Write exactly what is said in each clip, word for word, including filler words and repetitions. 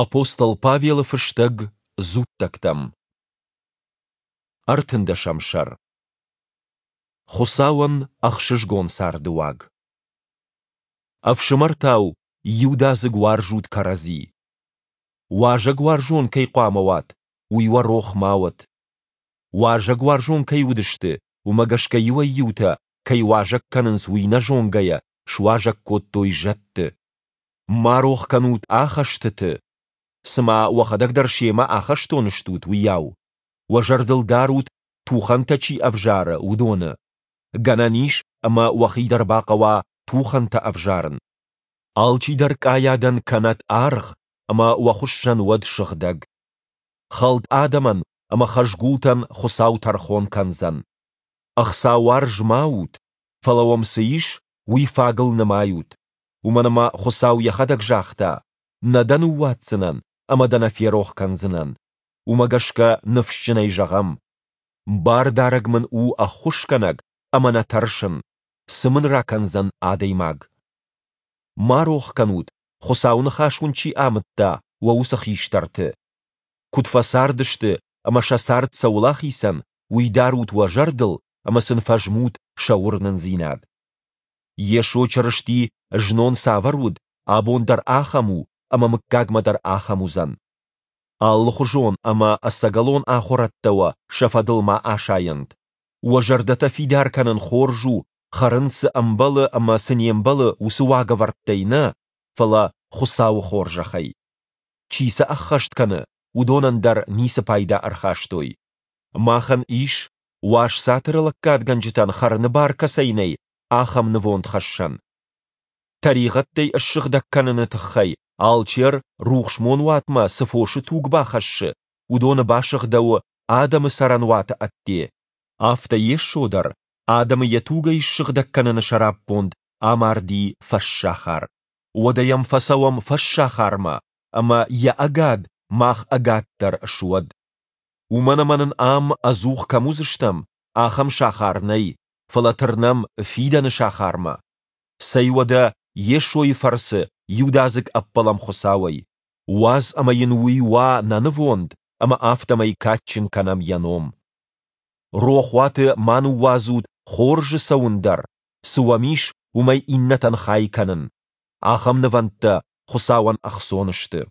Апостол Павелы фыстӕг Дзуттӕгтӕм. Ӕртындӕсӕм сӕр. Хуыцауӕн ӕхсызгон царды уаг. Ӕфсымӕртау иудадзыг уарзут кӕрӕдзи. Уазӕгуарзон кӕй хъуамӕ уат, уый уӕ рох ма уӕд. Уазӕгуарзон кӕй уыдысты, уымӕ гӕсгӕ иуӕй-иутӕ, кӕй уазӕг кӕнынц, уый нӕ зонгӕйӕ, суазӕг кодтой зӕдты. Ма рох кӕнут ахӕстыты, цыма уӕхӕдӕг дӕр семӕ ахӕстоны стут, уыйау. Уӕ зӕрдыл дарут, тухӕнтӕ чи ӕвзары, уыдоны. Гӕнӕн ис, ӕмӕ уӕхи дӕр бахъӕуа тухӕнтӕ ӕвзарын. Алчидӕр къайадӕн кӕнӕд аргъ ӕмӕ уӕ хуыссӕн уӕд сыгъдӕг. Хӕлд адӕмӕн ӕмӕ хӕзгултӕн Хуыцау тӕрхон кӕндзӕн. Ӕхцауарз ма ут, фӕлӕ уӕм цы ис, уый фагыл нымайут. Уымӕн ӕмӕ Хуыцау йӕхӕдӕг загъта: «Нӕ дӕ ныууадздзынӕн ӕмӕ дӕ нӕ ферох кӕндзынӕн». Уымӕ гӕсгӕ ныфсджынӕй зӕгъӕм: Бардарӕг мын у ӕххуысгӕнӕг ӕмӕ нӕ тӕрсын, цы мын ракӕндзӕн адӕймаг? Ма рох кӕнут, Хуыцауы ныхас уын чи амыдта, уӕ уыцы хистӕрты. Куыд фӕцардысты ӕмӕ сӕ цард цӕуыл ахицӕн, уый дарут уӕ зӕрдыл ӕмӕ сын фӕзмут сӕ уырнындзинад. Йесо Чырысти знон цавӕр уыд, абон дӕр ахӕм у ӕмӕ мыггагмӕ дӕр ахӕм уыдзӕн. Алыхуызон ӕмӕ ӕцӕгӕлон ахуырӕдтӕ уӕ сӕ фӕдыл ма асайӕнт. Уӕ зӕрдӕтӕ фидар кӕнын хорз у, хӕрын цы ӕмбӕлы ӕмӕ цы не мбӕлы, уыцы уагӕвӕрдтӕй нӕ, фӕлӕ Хуыцауы хорзӕхӕй. Чи сӕ ӕххӕст кӕны, уыдонӕн дӕр ницы пайда ӕрхастой. Махӕн ис, уаз цатыры лӕггадгӕнджытӕн хӕрыны бар кӕцӕй нӕй, ахӕм нывондхӕссӕн. Тӕригъӕдтӕй ссыгъдӕг кӕныны тыххӕй алчер рухсмонуатмӕ цы фосы туг бахӕссы, уыдоны басыгъдӕуы адӕмы цӕрӕнуаты ӕдде. Афтӕ Йесо дӕр адӕмы йӕ тугӕй ссыгъдӕг кӕныны сӕраппонд амарди фӕссахар. Уӕдӕ йӕм фӕцӕуӕм фӕссахармӕ, ӕмӕ йӕ ӕгад мах ӕгад дӕр суӕд. Уымӕн ӕмӕ нын ам ӕдзух кӕм уыдзыстӕм, ахӕм сахар нӕй, фӕлӕ тырнӕм фидӕны сахармӕ. Цӕй уӕдӕ Йесойы фӕрцы иудадзыг ӕппӕлӕм Хуыцауӕй. Уадз ӕмӕ йын уый уа нӕ нывонд, ӕмӕ афтӕмӕй кадджын кӕнӕм йӕ ном. Рохуаты ма ныууадзут хорзы цӕуын дӕр, цы уӕм ис, уымӕй иннӕтӕн хай кӕнын. Ахӕм нывӕндтӕ Хуыцауӕн ӕхцон сты.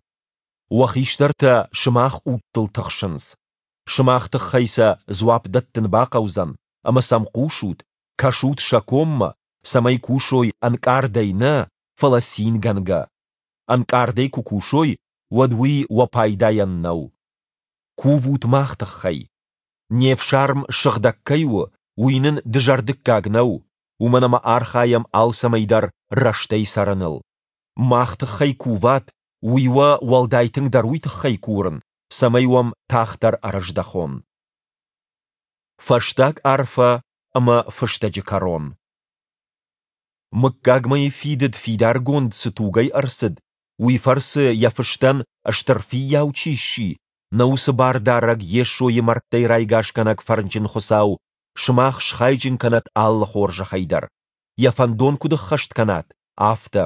Уӕ хистӕртӕ сымах удтыл тыхсынц. Сымах тыххӕй сӕ дзуапп дӕттын бахъӕудзӕн, ӕмӕ сӕм хъусут, кӕсут сӕ коммӕ, цӕмӕй кусой ӕнкъардӕй нӕ, фӕлӕ цингӕнгӕ. Ӕнкъардӕй куы кусой, уӕд уый уӕ пайдайӕн нӕу. Кувут мах тыххӕй. Не фсарм сыгъдӕг кӕй у, уый нын дызӕрдыггаг нӕу, уымӕн ӕмӕ архайӕм алцӕмӕй дӕр рӕстӕй цӕрыныл. Мах тыххӕй куват, уый уӕ уӕлдай тынгдӕр уый тыххӕй курын, цӕмӕй уӕм тагъддӕр ӕрыздӕхон. Фӕстаг арфӕ ӕмӕ фыстӕджы кӕрон. Мыггагмӕйы фидыд фидаргонд цы тугӕй ӕрцыд, уый фӕрцы йӕ фыстӕн стыр фыййау чи сси, нӕ уыцы Бардарӕг Йесойы мӕрдтӕй райгасгӕнӕг фӕрнджын Хуыцау сымах схайджын кӕнӕд алы хорзӕхӕй дӕр, йӕ фӕндон куыд ӕххӕст кӕнат, афтӕ.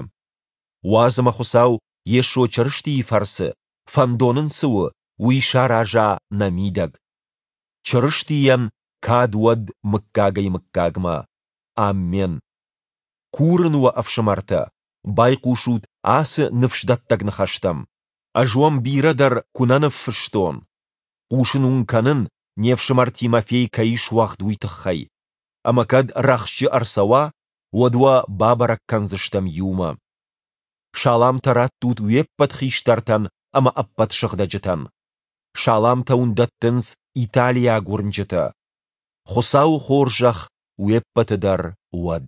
Уадз ӕмӕ Хуыцау Йесо Чырыстийы фӕрцы, фӕндон ын цы у, уый сараза нӕ мидӕг. Чырыстийӕн кад уӕд мыггагӕй-мыггагмӕ. Аммен. Курын уӕ, ӕфсымӕртӕ, байхъусут ацы ныфсдӕттӕг ныхӕстӕм. Ӕз уӕм бирӕ дӕр куы нӕ ныффыстон. Хъусын уын кӕнын, не фсымӕр Тимофей кӕй суӕгъд, уый тыххӕй. Ӕмӕ кӕд рӕхджы ӕрцӕуа, уӕд уӕ бабӕрӕг кӕндзыстӕм иумӕ. Саламтӕ раттут уе ппӕт хистӕртӕн ӕмӕ ӕппӕт сыгъдӕджытӕн. Саламтӕ уын дӕттынц италиаг уырнджытӕ. Хуыцауы хорзӕх уе ппӕты дӕр уӕд.